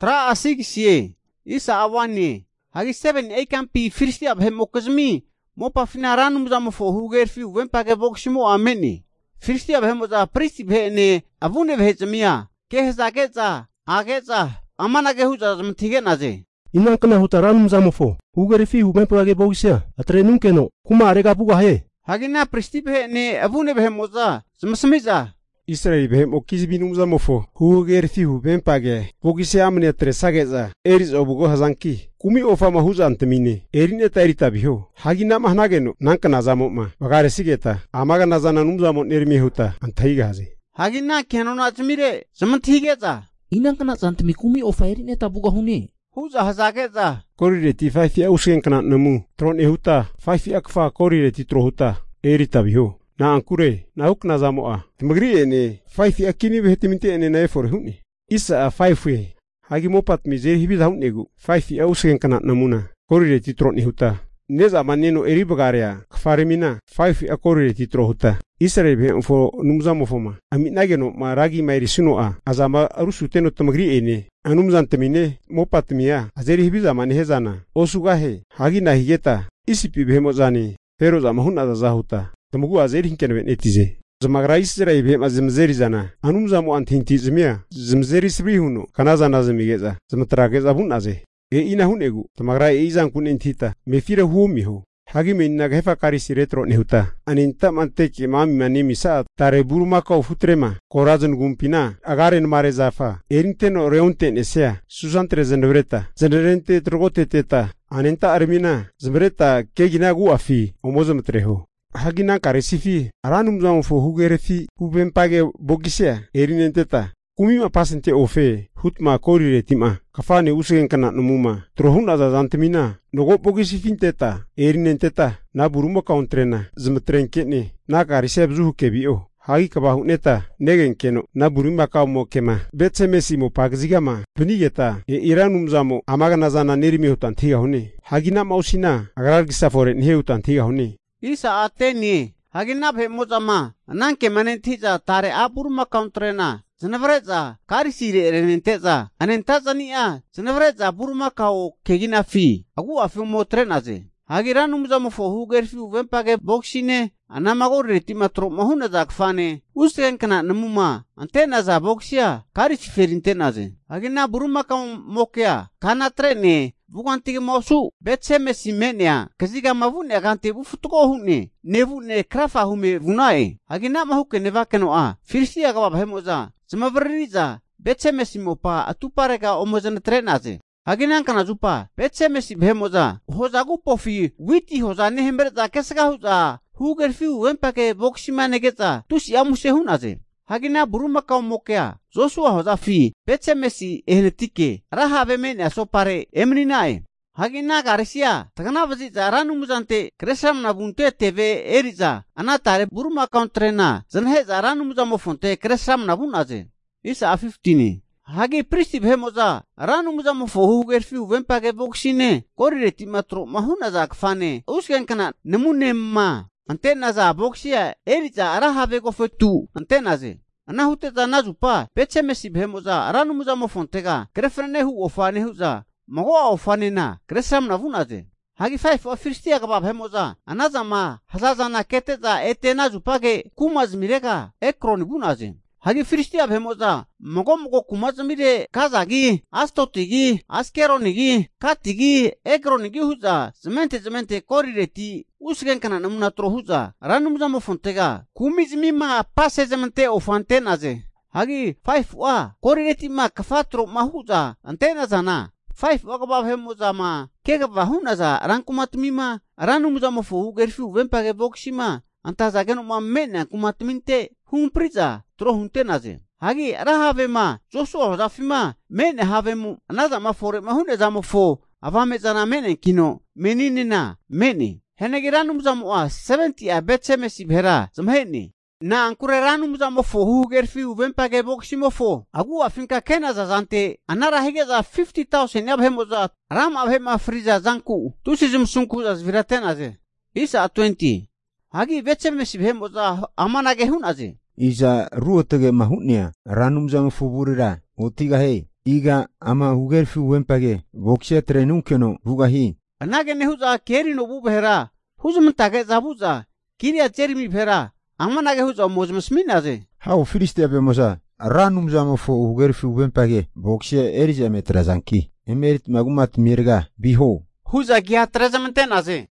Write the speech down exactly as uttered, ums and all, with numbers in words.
Tra asig siye. Isa awani. Hagi seven eikampi firsti abhe mokazmi. Mopa finaran muza mofo huger fi wempage boksimo ameni. Firsti abhe muza pristi bhene avune bhezmia. Kehza keza ageza amana ge huza mthige naze. Inang kana hutaran muza mofo huger fi wempage boksia. Atre nunkeno kuma arega buga he. Hagina pristi bhene avune bhe muza smsmiza. Israel behem okizibinu muza mofo huger fi wempage bokisia amne atre sageza. Eris obugo hazanki. Kumi ofa mahuza antemine erine tairita biho hagina mahnageno nanka nazamo ma bagare sigeta amaga nazana numzamo nermi huta antaiga haze hagina kenona atmire zamanthigeza inang kana santmi kumi ofa erine tabuga hune huza hazageza korireti faifi ausgen kana namu tron ehuta faifi akfa korireti trohuta erita biho na ankure na huk nazamo a timagri ene faifi akini behtiminte ene na for huni isa a faifi Hagi mopat mizer hibi daun egu. Faifi ausgen kana namuna. Korire titro ni huta. Neza maneno eri bagaria. Kfarimina. Faifi a korire titro huta. Israel be ufo numza mofoma. Ami nageno ma ragi mairi sino a. Azama arusu teno tamagri ene. Anumzan temine mopat mia. Azeri hibi zamani hezana. Osugahe. Hagi na higeta. Isipi be mozani. Pero zamahun azazahuta. Tamugu azeri hinkene netize. Zamagra Israel be mazmzeri zana anum zamu antinti zmia zmzeri sbrihuno kanazana zamigeza zmatrageza bunaze e ina hunegu tamagra e izan kun intita mefira humiho hagi menna gefa karisi retro nehuta aninta manteki mami mani misa tare buruma ka futrema korazun gumpina agaren mare zafa erinteno reunte nesea susantre zenvreta zenrente trogote teta aninta armina zmreta kegina gu afi omozmtreho Hagina karesifi aranum zam fo hugerefi hubempage bogisea erinenteta kumima pasente ofe hutma korire tima kafane usgen kana numuma trohun azazantemina nogo bogisifinteta erinenteta na buruma kauntrena zmtrenkene na kariseb zuhu kebio hagi kabahu neta negen keno na buruma ka mokema betsemesi mo pagzigama bunigeta e iranum zamo amaga nazana nerimi hutan thiga hune hagina mausina agar gisafore ne hutan thiga hune Isa ateni hagina bhe mozama nanke manentiza tare aburma kauntrena zanavreza karisire renenteza anentazania zanavreza burma kao kegina fi agu afi motrenaze hagira numzamo fo hugerfi wempage boxine anamago retima tro mahuna zakfane usgen kana namuma antena za boxia karisi ferintenaze hagina burma kao mokya kana trene Bukantige mosu betseme simenia kaziga mavune agante bufutuko hune nevune krafa hume vunae hagina mahuke nevakeno a firsi aga bhemoza zmavririza betseme simopa atuparega omozana trenaze hagina kana zupa betseme si bhemoza hozagu pofi witi hozane hemberza kesga huza hugerfi wempake boximanegeza tusi amuse hunaze Hagina buruma ka mokea Joshua hozafi betsemesi ehnetike rahave mene asopare emninae Hagina garisia tagana vazi zaranu muzante kresam na bunte tv eriza anatare buruma kauntrena zanhe zaranu muzamo fonte kresam na bunaze isa fifteen Hagi pristi bhemoza ranu muzamo fohu gerfi wempage boxine korireti matro mahuna zakfane usgen kana nemune ma Antena za boxia eriza arahave go fetu antena ze anahute za nazupa betsemesi bhemoza aranu muzamo fontega krefrene hu ofane huza mago ofane na kresam na vunaze hagi five of firstia ga bhemoza anazama hazazana keteza etena zupage kumaz mirega ekroni bunaze hagi firstia bhemoza mago mago kumaz mire kazagi astotigi askeronigi katigi ekronigi huza zemente zemente korireti Usgen kana namuna trohuza ranum zamo fontega kumizmi ma passe zemente ofantenaze hagi five wa korireti ma kafatro mahuza antena zana five wagaba hemuza ma kega vahunaza rankumatmi ma ranum zamo fo gerfi wempage boxima antazageno ma mena kumatminte humpriza trohuntenaze hagi rahave ma Joshua hozafima mene havemu anaza ma fore mahune zamo fo avame zana mene kino meninina mene Henegiranum zamoa seventy a betsemesi bhera zamheni na ankure ranum zamo fo hugerfi wempage boximo fo agu afinka kena zazante anara higeza fifty thousand yabhemoza ram abhema friza zanku tusizum sunku azviratenaze isa twenty hagi betsemesi bhemoza amanage hunaze isa ruotage mahunia ranum zamo fo burira otiga he Iga ama hugerfi wempage boksia trenunkeno bugahi. Anage ne huza keri no bubera. Huzum tage zabuza. Kiria jerimi pera. Amanage huza mozmasminaze. Hau filistia bemosa. Ranum zamo fo hugerfi wempage boksia erija metrazanki. Emerit magumat mirga biho. Huza gia trezamantenaze.